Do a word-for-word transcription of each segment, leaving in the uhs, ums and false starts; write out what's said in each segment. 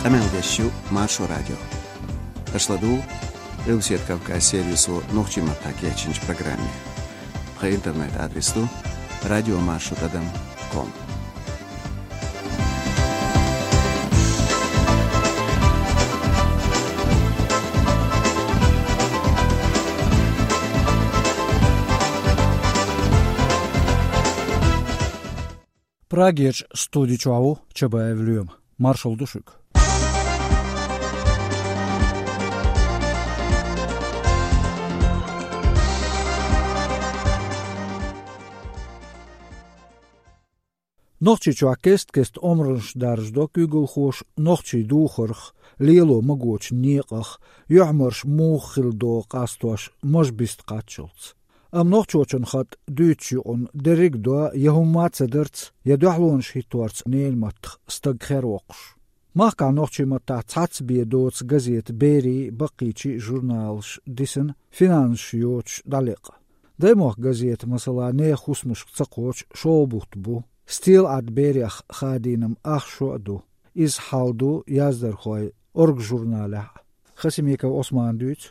Къамел деш ю Маршо радио. Аша ладугӀу Къилбаседа Кавказ сервисо нохчийн маттахь кечйинчу программе. Тхан интернет-адрес ду радиомаршо тӀадам ком. Прагерчу студи чохь ву Чабаев Лоьма. Маршалла ду шуьга. Нохчийчохь кест-кеста омранаш даржадо куьйгалхоша нохчийн духарх, лело магочу некъах, юьхьмарш муха хила догӀу къастош мажа биста кхаччалц. Амма нохчочун хатӀ дуьйцучу юкъана дерриг а до я хӀумма а ца дарца, я дуьхьалонаш хӀитторца ненан маттах стаг хервоккхуш. Махкахь нохчийн маттахь цхьацца бен доцу газетан берийн, баккхийчийн журналаш дисина финансаш йоцуш дӀалекъа. Даймохк газета, масала, нехан хӀусамашка ца кхочу шолгӀа бутт бу. Стелаӏад берех хадийнам ах шо а ду. Иза хьал ду яздархойн «Орга» журналехь а. Хасимиков Ӏусмана дуьйцу.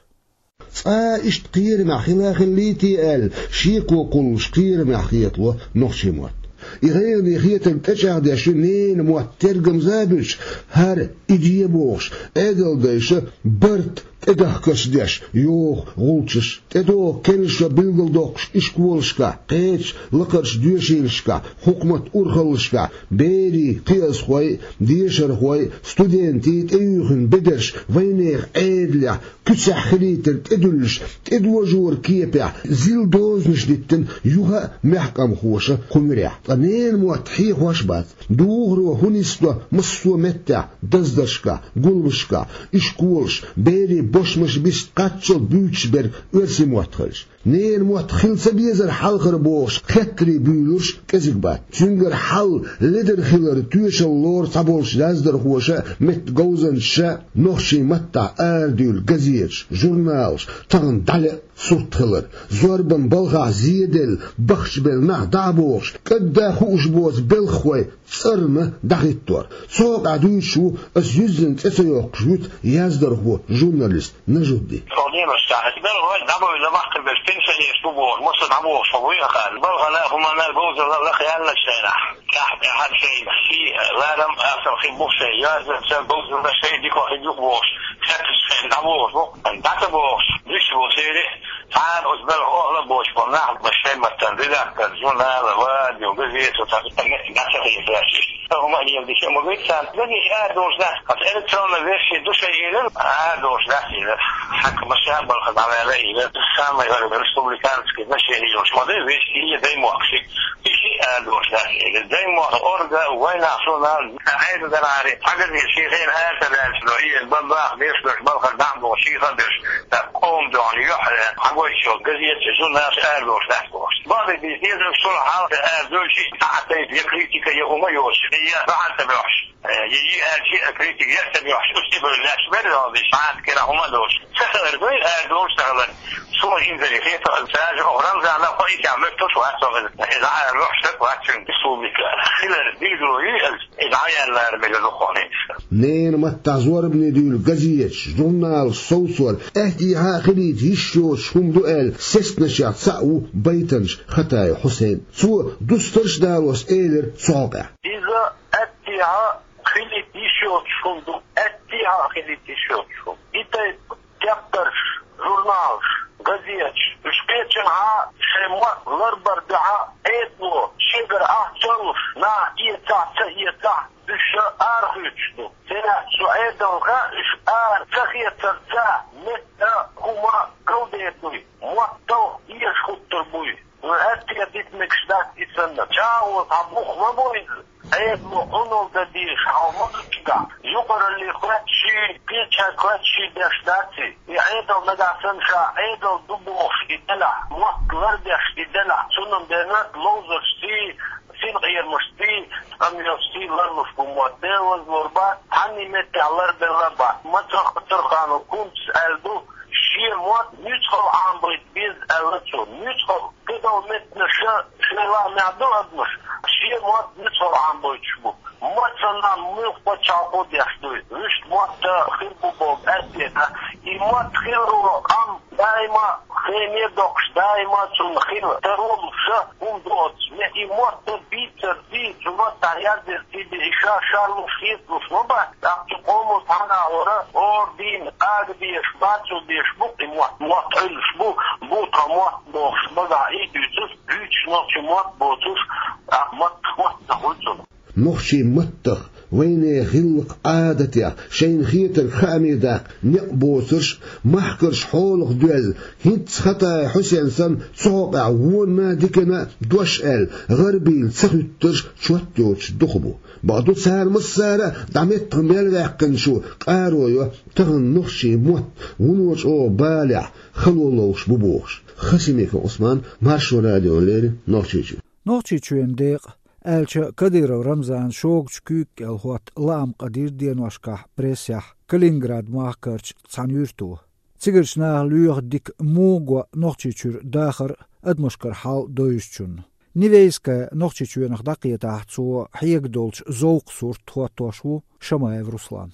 Цкъа иштта кхерамехь хила хиллий те аьлла, шеко кхуллуш кхерамехь хетало нохчийн мотт. И гӀайгӀане хетарг тӀечӀагӀдеш ю ненан мотт тергамза а буьллуш, хӀара и де бохуш, Ӏедалдайша барт тӀедахкарш деш йоху гӀулчаш, тӀедогӀу керла шо билгалдоккхуш ишколашкахь, кхечу лакхарчу доьшийлашкахь, хьукматан урхаллашкахь, берийн, кхиазхойн, дешархойн, студентийн тӀеюьйхина бедарш вайнехан Ӏедалехь куьцехь хилийтар тӀедуьллуш, тӀедожоран кепехь зил дозанаш диттина юха а мехкамхоша кху муьрехь. Ткъа ненан мотт хьехош а бац. Духаро хӀун нисдо массо а меттехь, даздаршкахь, гулбашкахь, ишколаш, берийн бошмаш биста кхаччалц буьйцуш берг оьрсийн мотт хилча. Ненан мотт хила ца безара хьалхара бохуш, хеттарий буьйлурш кӀезиг бац. Цуьнгара хьал ледара хиларан тоьшалла лору цхьаболчу яздархоша а, меттан говзанчаша а нохчийн маттахь арадуьйлу газеташ, журналаш тахана дӀалеа сурт хилар, зорбан балхахь зеделла, бахчабелла нах дӀа а бохуш, кӀадда хууш боцу белхахой цӀарна дӀахӀиттор. Цу хьокъехь дуьйцуш ву аса юьззина цӀе ца йоккхуш вуьту яздархо, журналист Нажудди. Цо лелош цхьа белхахой дӀабевлла, баккхийберш, пенсионераш бу бохуш, массо а дӀабохуш хьо вуй аха. Балхана, хӀуманна говзалла лаха яьллачу хенахь, тӀаьхьа-тӀаьхьа шайн сий, ларам, асал хи бух шайн, йоьзна ца говзалла шайн дика хи юха бохуш, хетташ шайн дӀабохуш бу, дӀа ца бохуш, дуьсу бу церан. Цхьана оцу белхан охьала а боцуш болу нах, шайн маттана редактор, журнала, радио, газета, цхьа дӀа ца хеташ. ХӀума а леладича ма гайта царна. Дагахь арадолуш дац. Аса электронная версия ду шайн, элира, арадолуш дац, элира. Хьакха маша а балха дӀаваьлла, элира. Самый, говорю, республиканский значение йолуш ма дай вести, и даймохк ши. И ши арадолуш дац, элира. Даймохк, «Орга», «Вайнах» журнал, Ӏедалдарари, хьагазийла шен хенахь ара ца даьлча, и бан баха берш берш балхара дӀа а бохуш, шен хан берш, так, къоман дуьхьал юьхь, хьагойтуш йолу газеташ, журналаш арадолуш дац бохуш. Бакъдерг дийца дезарг, цунах хьалха арадевлча, цхьа а тайпа я критика, я хӀума йоцуш, я бахьана ца боьхьуш. Э, я, я, аьлча, критика яц ца боьхьуш, уьш тӀебевлла лаьтташ бер а валдеш, бахьана кхера хӀума а доцуш. Ца хилар дуй, арадолуш ца хилар. Суна инзаре хета, цара оха Рамзана кхо итя метташ вац со иза. Иза арадохуш стаг вац цуьнан республика. Хилар билгало ю иза. Иза Ӏаяьллара мега дукхахьа. Ненан маттахь зорбане дуьйлу газеташ, журналаш совцор, аьттехьа а хилийта йиш йоцуш хӀума ду аьлла, сесташех цхьаъ ву Байтанаш Хатаев Хьусайн. Цо дустарш а далош элира цу хьокъехь. Иза аьттехьа а хилийта йиш йоцуш хӀума ду, аьттехьа а хилийта йиш йоцуш хӀума. И тайпа тептарш, журналаш, газеташ, уьш кхечанхьа шайн мотт ларбар дуьхьа Ӏедало шегара ахча а луш, нах эцахь а, ца эцахь а, уьш арахуьйцуш ду. Церан цу Ӏедална хаьа, уьш ара ца хецарца метта хӀума галдер дуй, мотт талха эша хӀуттур буй. Вай аьттехьа дита мегаш дац и санна. ЧӀагӀо цхьа бух ма бу иза. Ӏедало Ӏуналла дан дезаш хьал ма ду цигахь. Юкъаралле хоьттуш, кхечаьрга хоьттуш деш дац и. И Ӏедал нагахь санна ша Ӏедал ду бохуш и делахь, мотт лардеш и делахь, цунна бен ловзаршций, синкъерамашций, къамелашций ларлуш бу мотт. Дела лазлур бац, цхьанний меттехь ларбелла а бац. Мацах Турханов Кунцас аьлла ду, шен мотт нуьцкъала Ӏамабайта беза аьлла цо. Нуьцкъала. Кхидолу меттанаша шайн лаамехь ду адамаш, ши Шен мотт нуьцкъала Ӏамбойтуш бу. Мотт санна муьлхха пачхьалкхо деш ду. Вуьшта мотт хир бу боху аьттехьа. И мотт хир волу къам даима хене доккхуш, даима цунна хир таро луш хӀума ду оцу. Ме и мотт бийцар, бийцар, мотт дӀаяздира, и ша шарлуш, хеталуш ма бац. ТӀаккха цу къомо цхьана а вара, ордин, ага деш, бацо деш бу, и мотт, мотт Ӏуьллуш бу, бу тхан мотт бохуш, багахь и дуьйцуш, буьйцуш нохчийн мотт боцуш, тӀаккха мотт, мотт ца хуьлу цунах. Нохчийн маттах, вайнехан гӀиллакх-Ӏадатех, шайна хетарг хааме даккха некъ боцурш, махкарш хьолах доьзна, хӀинцца Хатаев Хьусен санна цу хьокъехь вонна а, дикана а дош аьлла, гӀарабийна ца хӀуьттурш чот йоцуш дукха бу. Бакъду, цара массара а дӀа меттах мел ваьккхинчо къаро йо, тахана нохчийн мотт вуно чӀогӀа балехь, хало ловш бу бохуш. Хасимиков Ӏусман, Маршо радиона леррина, Нохчийчуьра. Нохчийчоьнан декъа, аьлча, Кадыров Рамзанан шогачу куьйга кӀел хӀотта лаам къадийра деношкахь прессехь Калининград махкарчу цхьана юьрто. Цигарчу наха лоьху дика муха го Нохчийчуьра дахар а, адамашкара хьал а довзучунна. Невенская Нохчийчоьнах дӀакхетахь, цо хьега долчу зовкхан сурт хӀоттош ву Шамаев Руслан.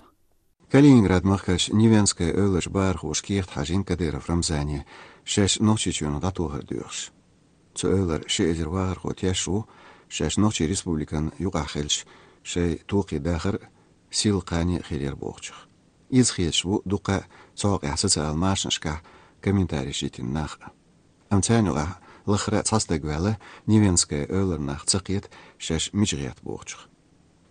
Калининград-махкарчу Невенская эвларчу бахархоша кехат хьажийна Кадыров Рамзане, шаьш Нохчийчоьнах дӀатохар доьхуш. Цу эвлара ши эзар вахархо тешна ву, шаьш Нохчийн Республикана юкъахь хилча, шайн тохий дахар а, силла кхане а хир яра бохучух. Иза хеташ бу дуккха а цу хьокъехь социал-машанашкахь комментареш йитина нах а. Амма царна юкъахь лахара а цхьа стаг ваьлла, Невенская эвлара нах ца кхета, шаьш мича гӀерта бохучух.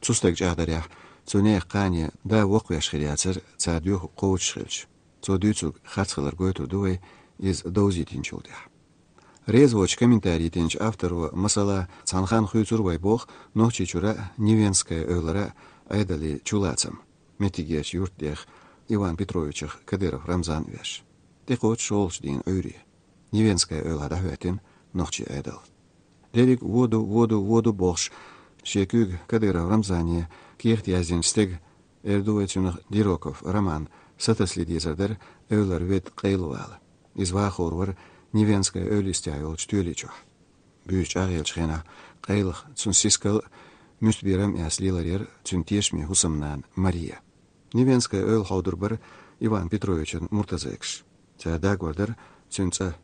Цу стага чӀагӀдарехь, цу нехан кхане да воккхавеш хир яцара, цара доьхург кхочуш хилча. Цо дуьйцург харц хилар гойтур ду вай, иза довзийтинчул тӀаьхьа. Реза воцчу комментари йитинчу авторо, масала, цхьана ханна хуьйцура вай боху Нохчийчуьра а, Невенская эвлара а Ӏедалан чулацам, меттигерчу юьртдех Иван Петровичах Кадыров Рамзан а веш. ТӀекхочу шолгӀачу дийнан Ӏуьйре. Невенская эвлахь дӀахӀоьттина нохчийн Ӏедал. Дерриг а вон ду, вон ду, вон ду бохуш, шен куьйга Кадыров Рамзане кехат яздинчу стеган, эр ду вай цуьнах Дироков Роман, сатасале дезар дара эвлара ведда къайлавала. Иза вахор вара Невенская эвла йистехь йолчу тоьли чохь. Буьйса чӀагӀъеллачу хенахь къайлаха цуьнан сискал а, муьстаберам а эцна лелар яра цуьнан тешаме хӀусамнана Мария. Невенская эвла хьовдур бара Иван Петровичан муртазайкаш. Цара дагор дара цуьнан цӀа.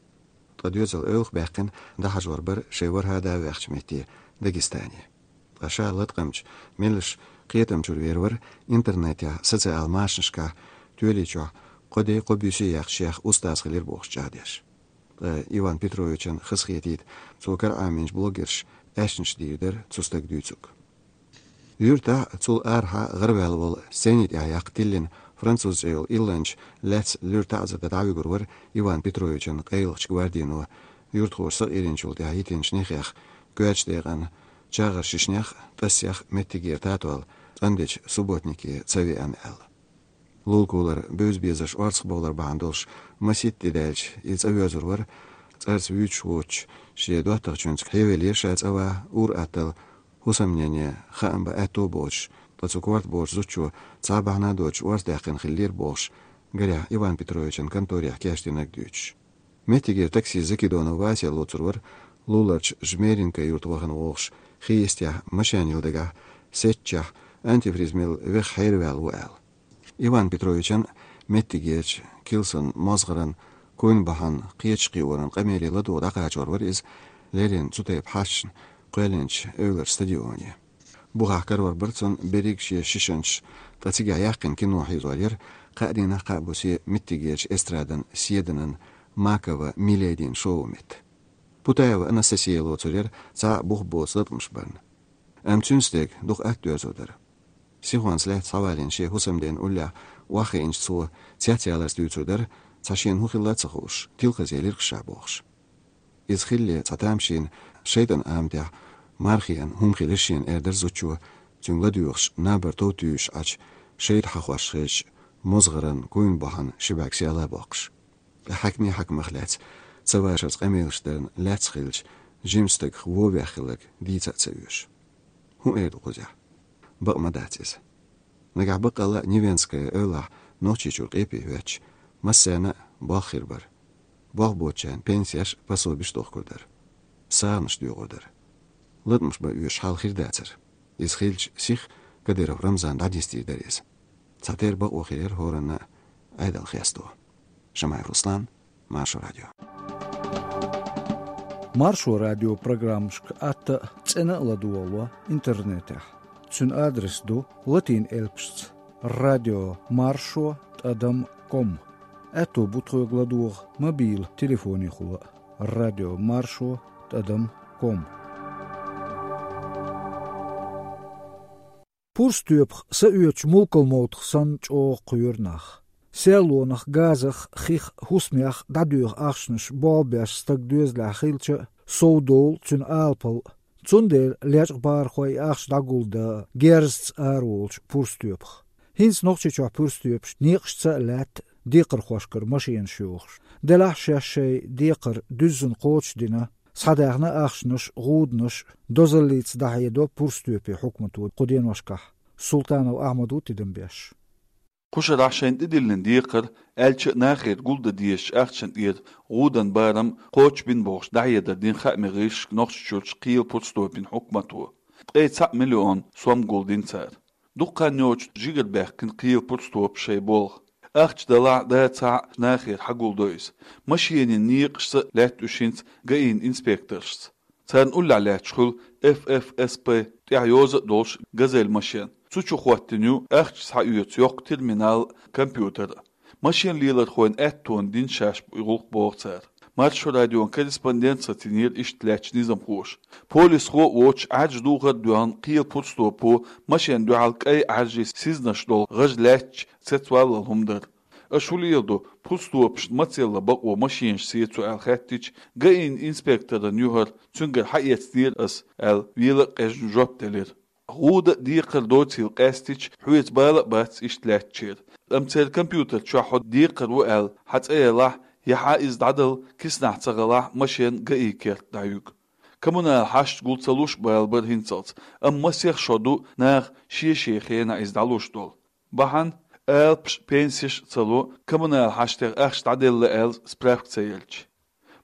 Ткъа доьзал эвлах баьккхина, дӀахьажор бара шайн ворхӀе да ваьхначу метте, Дагестане. Ткъа ша латкъамчу, меллаша кхетам чуьра вер вара интернетехь, социал-машанашкахь, тоьли чохь кхо де, кхо буьйса яьккхича, устаз хилира бохуш чӀагӀдеш. Ткъа Иван Петровичан хазахетийта, цо кара Ӏамийначу блогерша аьшнаш дийр дара цу стага дуьйцург. Юьртахь а, цул арахьа а гӀараваьлла волу, сцени тӀехь яккха тиллина, француз цӀе йолу илланча лаьцна луьра таӀзар дан дӀавуьгур вара Иван Петровичан къайлахчу гвардино, юьртахоша сакъеринчул тӀаьхьа йитинчу нехех, коьртачу декъана чагӀар шишнех а, тӀасех а меттигера татол цӀандечу субботнике ца веана аьлла. Лулакулара бевза-безарш орцахбовлар бахьана долуш масийтта де даьлча, и цӀа воьзур вара, цӀарца вуьйцуш воцуш, шен доттагӀчуьнца хьевелира ша цӀа ван, ур атталла, хӀусамнене хаам бан аьтто а боцуш, ткъа цу корта боцучу зудчо цхьа а бахьана а доцуш орца даьккхина хиллера бохуш, гарехь Иван Петровичан конторехь кечдинарг дуьйцуш. Меттигера таксист Закидонов Вася лоцур вара, Луларчу Жмеринка юрта вахана вогӀуш, хи йистехь машен йилла дагахь, сецчехь, антифриз мелла веха хьераваьлла ву аьлла. Иван Петровичан меттигерчу Килсон мозгӀаран, куйна бахьан кхеташ кхиоран къамеле ладогӀа дӀакхачор вара иза, леррина цу тайпа хьашташна кхоьллинчу эвларчу стадионе. Бухахь карор бара цунна берриг шен шишанчаш, ткъа цигахь яьккхина кино хьийзор яра, кхаа дийнахь, кхаа бусе меттигерчу эстрадан седанан Макова Миледин шоу-метта. Путаева Анастасия лоцур яра цхьа а бух боцу латкъамаш барна. Амма цуьнан стеган дукха атта доьзур дара. Сихонца лаьцна схьавалийна шен хӀусамден уллехь охьахиъначу цо цецъяларца дуьйцур дара, цхьа шена хӀун хилла а ца хууш, тилкхазъелира ша бохуш. Иза хилале цхьа тамашийна шайтӀан аматехь мархиан хӀума хилира шена, эр дара зудчо, цуьнга ладоьгӀуш набар тов туьйсуш Ӏачу шайтӀа хьахош хезча, мозгӀаран, куйна бахьан ши бӀаьрг сел а боккхуш. Ткъа хьаькамий хьаькамах лаьцна цавашарца къамелаш дарна лаьцна хилча, жима стагах вовех хилларг дийца а ца оьшу. ХӀун эр ду кхузахь? Бакъ ма дац иза. Нагахь баккъалла а Невенская эвлахь Нохчийчуьра къепе хӀоьттича, массарна а болх хир бара. Болх боцучарна пенсеш а, пособеш а дохкур дара. СагӀанаш доьгӀур дара. латамаш бан оьшуш хьал хир дацар. Иза хилча, сиха Кадыров Рамзан дӀадистийр дара иза. Цхьатерра бакъо хир яра хӀоранна а, Ӏедал хесто. Шамаев Руслан, Маршо радио. Маршо радио программашка атта а, цӀена а ладогӀало интернетехь. Цуьнан адрес ду латин элпашца: радио маршо тӀадам ком. Аьтто бу тхоьга ладогӀа мобил телефонехула а: радио маршо тӀадам ком. Пурстоьпах са оьцуш мулкалмовтах санна чӀогӀа кхоьру нах. Серлонах, газах, хих, хӀусамех дӀадоьху ахчанаш болх беш стаг доьзалехь хилча а, сов довлу цуьнан алапал а. Цундела лечкъа бахархой и ахча дӀагулдан герзаца араволучу пурстоьпах. ХӀинца Нохчийчохь пурстоьпаш некъашца а лаьтта декхархошкара машенаш йохуш. Делахь шаьш шайн декхар дуьззина кхочушдина, схьадаьхна ахчанаш, гӀуданаш, дозаллица дӀахьедо пурстоьпийн хьукмато кху деношкахь. Султанов Ахьмад ву тидам беш. Кху шарахь шайна тӀедиллина декхар, аьлча а нахера гулдан дезачу ахчанан тӀера гӀудан барам кхочушбина бохуш дӀахьедар дина хаамийн гӀирсашка Нохчийчуьрчу кхелан пурстопийн хьукмато. Ткъе цхьаъ миллион сом гулдина цара. Дукха хан йоцуш жигара баьхкина кхелан пурстопа шайн болх. Ахча далахь а, дацахь а, нахера хьагулдо иза. Машенийн некъашца а лаьтта уьш хӀинца ГАИ-н инспекторшца. Царна уллехь лаьтташ хуьлу F F S P тӀехь йоза а долуш «Газель» машен. Цу чу хӀоттийна ю ахча схьаоьцу йоккха терминал а, компьютер а. Машен лелорхойн аьттонна дина шаьш и гӀуллакх, боху цара. Маршо радион корреспондентаца тинера иштта лаьттачу низамхоша. Полисхо а воцуш, Ӏаьржа духар а доьгӀна, кхелан пурстопо машенна дуьхьал кӀайн Ӏаьржийн сизнаш долу гӀаж лаьттачу цецваллал хӀума дара. Аша хӀун леладо, пурстопашна мацалла бакъо машенаш сецо аьлла хаьттича, ГАИ-н инспекторна юхара цуьнгара хьаэцнера ас аьлла, вела а къежна жоп делира. ГӀуда а, декхар а доцийла къаьстича, хьоьца бала а бац иштта лаьттачеран. Амма церан компьютер чохь хьо декхар ву аьлла хьан цӀе ялахь, я хьан иза дӀадала киснахь ца гӀалахь, машен ГАИ-н керта дӀаюьгу. Коммунал хьашташ гул ца луш а бала бара хӀинцалц, амма масех шо ду наха шен-шен хенахь иза дӀалуш долу. Бахьана, алапаш а, пенсеш а ца ло, коммунал хьаштех ахча дӀаделла аьлла справка ца елча.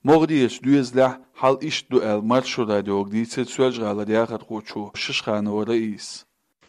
МогӀарерчу доьзалехь хьал иштта ду аьлла, Маршо радиога дийцира Соьлжа-ГӀалара яхархочо Шишханова Раисас.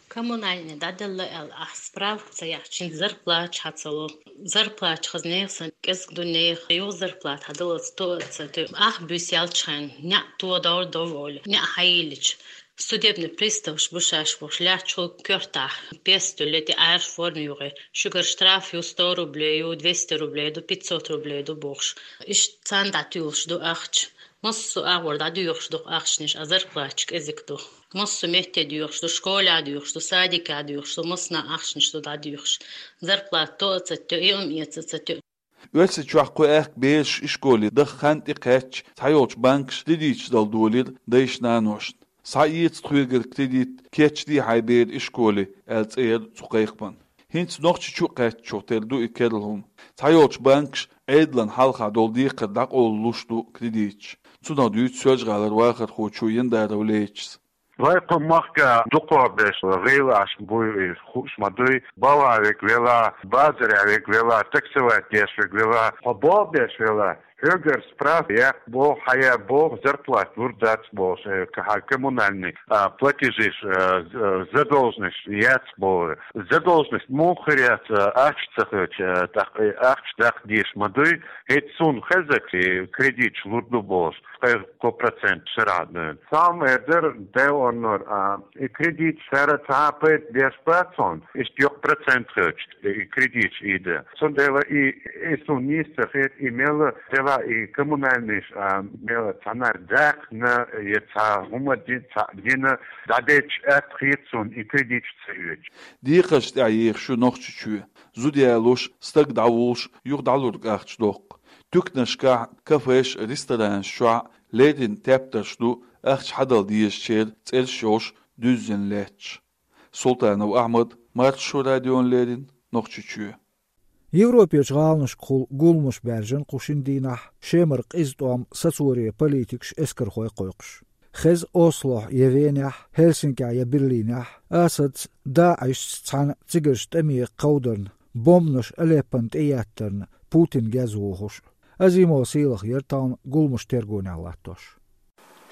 Коммунальный дӀаделла аьлла ахь справка ца яхьча, зарплата хьан ца ло. Зарплата хаза нехан санна кӀезиг ду, нехан юха зарплата хьан даллалц тоъа ца тоьу. Ахь буьйса яьлча хьайн, неӀ тодор доволе, неӀ хьайиллича. Судебный приставаш бу шаьш бохуш, лаьтташ хуьлу коьртахь пестуьлле тӀе Ӏаьржа форма юххе. Шуьгара штраф ю сто рублей ю, двести рублей ду, пятьсот рублей ду бохуш. Иштта царна дӀатуьйлуш ду ахча. Массо а агӀор дӀадоьхуш ду ахчанаш, а зарплаташ кӀезиг ду. Массо а метте доьхуш ду, школехь доьхуш ду, садикехь доьхуш ду, массанхьа ахчанаш ду дӀадоьхуш. Зарплата тоъа ца тоьу, и ам эца ца тоьу. Оьрсийчохь кхо аьхка бераш ишколе даха хан тӀекхаьчча, цхьайолчу банкаша кредиташ дала долийра дайшна-наношна. «Схьаэца тхоьгара кредит, кечде хьайн бер ишколе», аьлла цӀе яра цу кхайкхаман. ХӀинца Нохчийчу а кхаьчча, тера ду и керла хӀума. Цхьайолчу банкаша Ӏедална хьалха долу декхар дӀакъовла луш ду кредиташ. Цунах дуьйцу Соьлжа-ГӀалара вахархочо Яндаров Лечас. Вай кху махка дукхох берш гӀийла Ӏаш буй, хууш ма дуй, балха верг велахь, базарехь верг велахь, таксовать деш верг велахь, хьо болх беш велахь, хьоьгара справка яккха боху, хьан яр боху, зарплата лур дац боху, э, хьан коммунальный, а, платежиш, э, з-, э, задолженность яц боху. Задолженность муха хир яц, э, ахча ца хилча, э, тӀаккха, э, ахча даккха дезаш ма дуй, хӀинца суна хезарг, и кредиташ лур ду бохуш, кхо процент шарахь дуьйна. Цхьамма эр дара, Дела оннор, а, и кредиташ цара цхьа а пайда беш бац хьуна, иштта йоккха процент хилча, и кредиташ ийда. Цундела и, и суна нийса ца хета, и мелла делахь и коммунальныйш, а, мелла цхьаннара даккхна, я цхьа хӀума дин-, цхьа дина, дӀадетташ атта хета суна и кредиташ ца оьцуш. Декхарш тӀехь ехаш ю Нохчийчоь. Зуда ялош, стаг дӀавуллуш, юха дӀалург ахча доккху. Туьканашкахь, кафеш, ресторанаш чохь леррина тептарш ду ахча хьадала дезачеран цӀераш йолуш дуьззина лаьтташ. Султанов Ахьмад, Маршо радиона леррина, Нохчийчоь. Европерчу гӀаланашкахула гуламаш баьржина кху шина дийнахь Шемара къиза тӀом сацоре политикаш, эскархой кхойкхуш. Хеза Ослохь я Венехь, Хельсинкехь я Берлинехь Асадца, ДАИШца цхьаьна цигарчу тӀаме кховдарна, бомбанаш Алеппона тӀееттарна Путин геза вохуш. Азимова Сийлаха яра тахана гуламаш тергонехь латтош.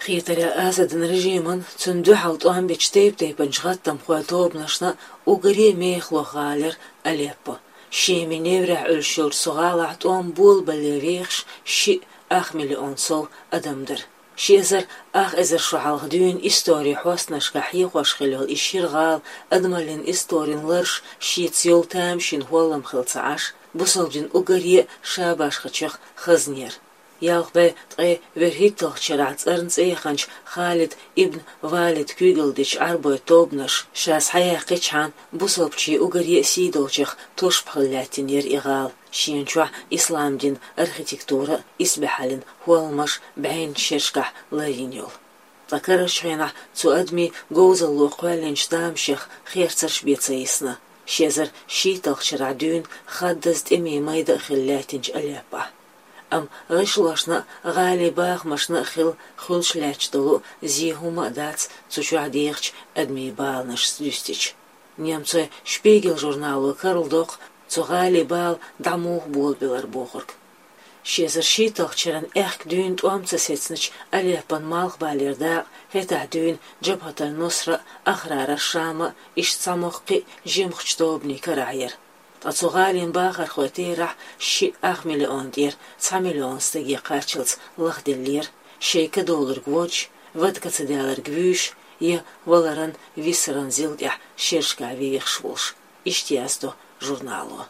Кхетарехь, Асадан режиман, цунна дуьхьал тӀом бечу тайп-тайпанчу гӀаттамхойн тобанашна уггаре а мехалло гӀала яра Алеппо. Шеман неврехь Ӏуьллуш йолчу цу гӀалахь тӀом болабале вехаш шиъ ах миллион сов адам дара. Ши эзар ах эзар шо хьалха дуьйна историн хьостанашкахь хьехош хилла йолу и шира гӀала адамаллин историн лараш шеца йолу тамашийна хӀоллам хилла ца Ӏаш, бусалба дин уггаре а шабашхачех хазнера. Ялх бӀе ткъе вуьрхӀитталгӀачу шарахь цӀарна цӀе яханчу Халид ибн Валид куьйгалла дечу Ӏарбойн тобанаша ша схьаяьккхичхьана, бусалбачийн уггаре а сий долчех тушпа хилла лаьттина яра и гӀала, шена чохь ислам дин, архитектура, исбаьхьаллин хӀолламаш, бӀеннаш шерашкахь ларйина йолу. Ткъа карарчу хенахь цу адамийн говзалло кхоьллинчу тамашех херцарш бен ца йисна, ши эзар шийтталгӀачу шарахь дуьйна хаддаза тӀемийн майда а хилла лаьттинчу Алеппохь. Амма гӀишлошна а, гӀалин бахамашна а хилла хуьлуш лаьтташ долу зен хӀумма а дац цу чохь дехачу адамийн баланашца дуьстича. Немцойн «Шпигель» журнало карладоккху цу гӀалин бала дӀа муха болабелар бохург. Ши эзар шийтталгӀачу шеран аьхка дуьйна тӀом ца сецначу Алеппон малхбалера дакъа хӀетахь дуьйна Джабхат аль-Нусра а, Ахрар аш-Шам а, иштта цхьа мохк кхин а жимахчу тобанийн карахь яра. Ткъа цу гӀалин бахархойн терахь шиъ ах миллион тӀера цхьа миллион стаге кхаччалц лахделлера, шайн ка долург водж, вада ка ца даларг вуьйш, я валаран, висаран зил тӀехь шерашкахь вехаш волуш, иштта яздо журнало.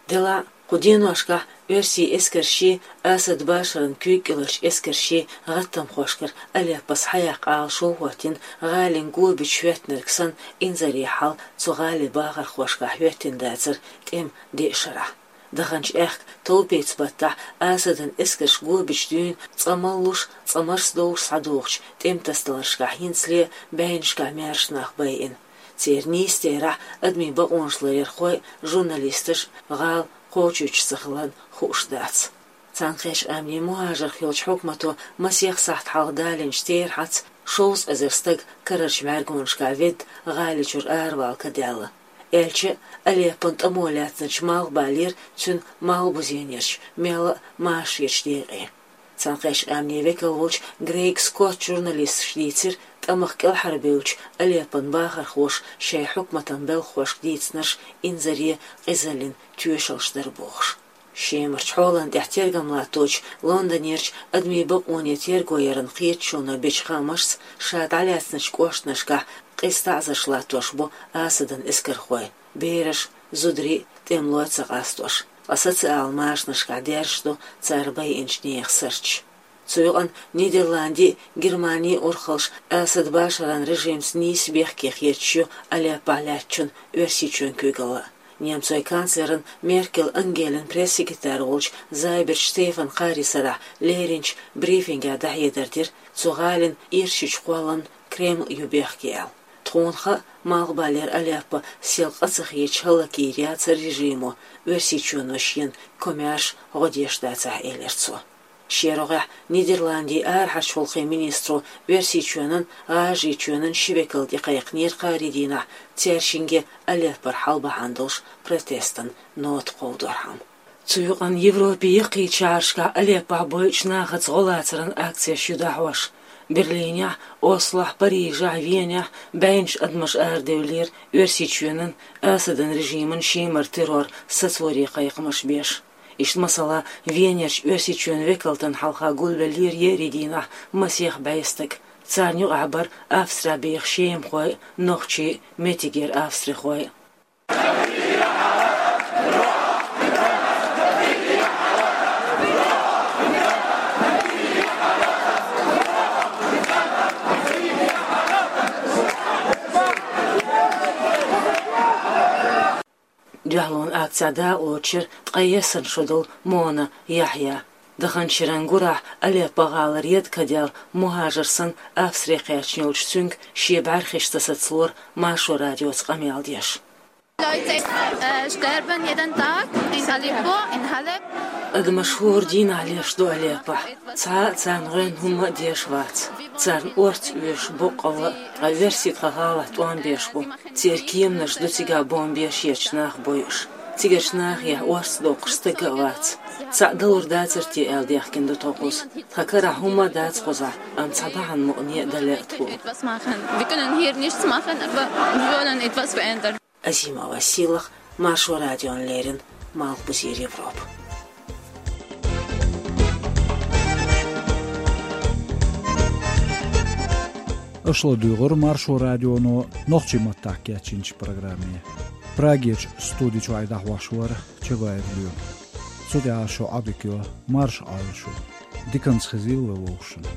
Делахь а, кху деношкахь оьрсийн эскаршший, Асад Башаран куьйга кӀеларчу эскаршший гӀаттамхошкара Алеппо схьаяккха Ӏалашо а хӀоттийна, гӀалин го бича хӀоьттинарг санна, инзаре хьал цу гӀалин бахархошкахь хӀоьттина дацара тӀеман деа шарахь. Даханчу аьхка товпеца баттахь Асадан эскарш го бича дуьйна цкъа маллуш, цкъа марсдовлуш схьадохучу тӀеман тасадаларшкахь хӀинцале а бӀеннашкахь маьрша нах байина. Церан нийса терахь адамийн бакъонаш ларъярхой а, журналисташ а гӀала кхочуьйтуш ца хиларна хууш дац. Цхьаьнакхеттачу Къаьмнийн мухӀажарх йолчу хьукмато масех сахьт хьалха далийначу терахьца шовзткъа эзар стаг карарчу мӀаьргонашкахь ведда, гӀали чуьра аравала ка даьлла. Аьлча а, Алеппон тӀамо лаьцначу малхбалера, цуьнан малхбузенерчу, мелла а машарерчу декъе. Цхьаьнакхеттачу Къаьмнийн векал волчу Грейг Скотта журналисташа дийцира, тӀамах кӀелхьарбевллачу Алеппон бахархоша шайн хьукматан белхахошка дийцинарш инзаре, къизаллин тоьшаллаш дара бохуш. Шемарчу хьолан тӀехь тергам латточу Лондонерчу адамийн бакъонийн терго яран кхеташоно бечу хаамашца, ша дӀалаьцначу кӀоштанашкахь къиза таӀзарш латтош бу Асадан эскархой, бераш а, зударий а тӀемалой ца къастош, ткъа социалан машанашкахь даьржаш ду цара байинчу нехан сурташ. Цу юкъана Нидерландийн а, Германин а урхаллаш Асад Башаран режимца нийса бехке хеташ ю Алеппохь лаьттачун Оьрсийчоьнан куьйгалла. Немцойн канцлеран Меркель Ангелин пресс-секретарь волчу Зайберт Штефана кхаарин сарахь леринчу брифингехь дӀахьедар дира, цу гӀалин ирчачу кхолламна Кремль ю бехке аьлла. Тхуна хаьа, малхбалера Алеппо сел къа ца хеташ хӀаллакйийр яцара режимо, Оьрсийчоьно шена комаьрша гӀо деш дацахь, элира цо. Шен рогӀехь Нидерландийн арахьарчу гӀуллакхийн министро Оьрсийчоьнан, ГӀажарийчоьнан ши векал тӀекхайкхинера кхаарин дийнахь, цаьршинге Алеппора хьал бахьана долуш протестан нота кховдорхьама. Цу юкъана Европин яккхийчу шахьаршкахь Алеппохь бойучу нахаца гӀо лацаран акцеш ю дӀахьош. Берлинехь, Ослохь, Парижехь, Венехь бӀеннаш адамаш арадевллера Оьрсийчоьнан, Асадан режиман шемара террор сацоре кхайкхамаш беш. Иштта, масала, Венерчу Оьрсийчоьнан векалтана хьалха гулбеллера еарин дийнахь масех бӀе стаг. Царна юкъахь бара Австрехь беха шемахой а, нохчий а, меттигера австрихой а. Дуьхьалонан акцехь дакъалоцуш яра ткъе ялх шо долу Мона Яхьъя. Даханчу шеран гурахь Алеппо гӀалара еда ка даьлла мухӀажар санна Австре кхаьчна йолчу цуьнга шен бӀаьрхиш ца сацалора Маршо радиоца къамел деш. Leute, äh, sterben jeden Tag in Aleppo, in Halep. Адамаш хӀора дийнахь леш ду Алеппохь. Цхьа а царна гӀоьнна хӀумма а деш вац. Царна орца оьшуш боккъалла а, ткъа оьрсий тхан гӀалахь тӀом беш бу. Церан кеманаш ду цигахь бомбеш ерчу нах бойуш. Цигарчу нахехь орца доккхуш стаг а вац. Цхьаъ далур дацара те аьлла даьхкина ду тхо кхуза. Тхан карахь хӀумма а дац кхузахь, амма цхьа бахьана мукъане а дале а тхо. Etwas machen. Wir können hier nichts machen, aber wir wollen etwas verändern. Азимова Сийлаха, Маршо радиона леррина, Малхбузера Европа. Аша ладуьйгӀира Маршо радионо нохчийн маттахь кечйинчу программе. Прагерчу студи чохь дӀахьош вара Чабаев Лоьма. Цу тӀехь шу Ӏадика йо, марша Ӏойла шу. Диканца хезийла вай вовшашна.